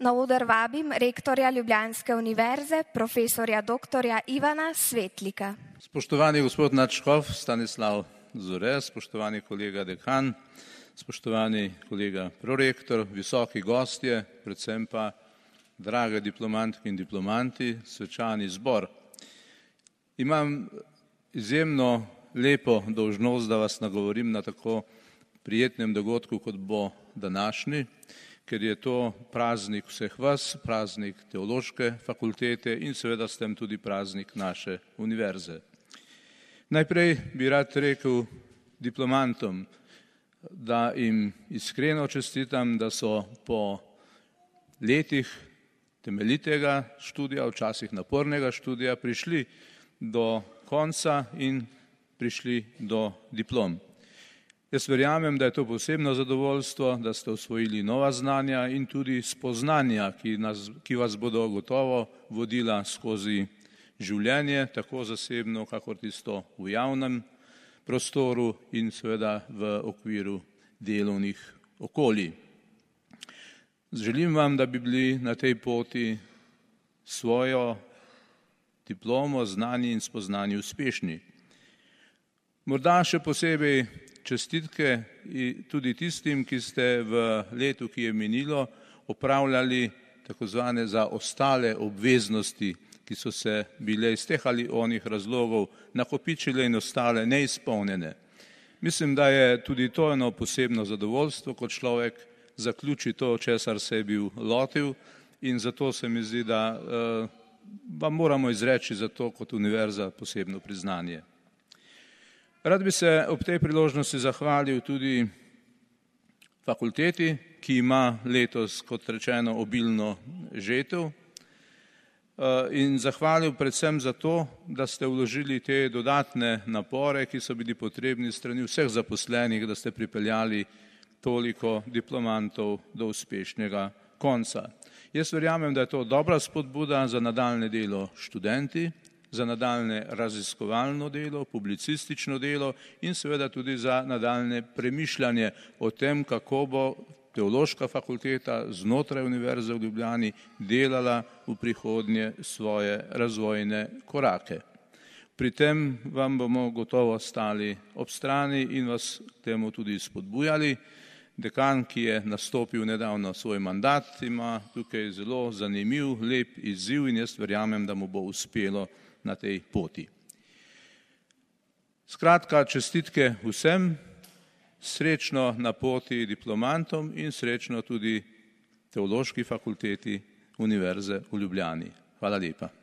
Na oder vabim rektorja Ljubljanske univerze, profesorja doktorja Ivana Svetlika. Spoštovani gospod nadškof Stanislav Zore, spoštovani kolega dekan, spoštovani kolega prorektor, visoki gostje, predvsem pa drage diplomantke in diplomanti, svečani zbor. Imam izjemno lepo dolžnost, da vas nagovorim na tako prijetnem dogodku, kot bo današnji, ker je to praznik vseh vas, praznik teološke fakultete in seveda s tem tudi praznik naše univerze. Najprej bi rad rekel diplomantom, da jim iskreno čestitam, da so po letih temeljitega študija, včasih napornega študija, prišli do konca in prišli do diplom. Jaz verjamem, da je to posebno zadovoljstvo, da ste osvojili nova znanja in tudi spoznanja, ki vas bodo gotovo vodila skozi življenje, tako zasebno, kakor tisto v javnem prostoru in seveda v okviru delovnih okolij. Želim vam, da bi bili na tej poti svojo diplomo, znanje in spoznanje uspešni. Morda še posebej čestitke tudi tistim, ki ste v letu, ki je minilo, opravljali tako zvane zaostale obveznosti, ki so se bile iz teh ali onih razlogov nakopičile in ostale neizpolnjene. Mislim, da je tudi to eno posebno zadovoljstvo, kot človek zaključi to, česar se je bil lotil, in zato se mi zdi, da vam moramo izreči za to kot univerza posebno priznanje. Rad bi se ob tej priložnosti zahvalil tudi fakulteti, ki ima letos, kot rečeno, obilno žetev, in zahvalil predvsem za to, da ste vložili te dodatne napore, ki so bili potrebni strani vseh zaposlenih, da ste pripeljali toliko diplomantov do uspešnega konca. Jaz verjamem, da je to dobra spodbuda za nadaljne delo študenti, za nadaljne raziskovalno delo, publicistično delo in seveda tudi za nadaljne premišljanje o tem, kako bo teološka fakulteta znotraj Univerze v Ljubljani delala v prihodnje svoje razvojne korake. Pri tem vam bomo gotovo stali ob strani in vas k temu tudi spodbujali. Dekan, ki je nastopil nedavno svoj mandat, ima tukaj zelo zanimiv, lep izziv in jaz verjamem, da mu bo uspelo na tej poti. Skratka, čestitke vsem, srečno na poti diplomantom in srečno tudi Teološki fakulteti Univerze v Ljubljani. Hvala lepa.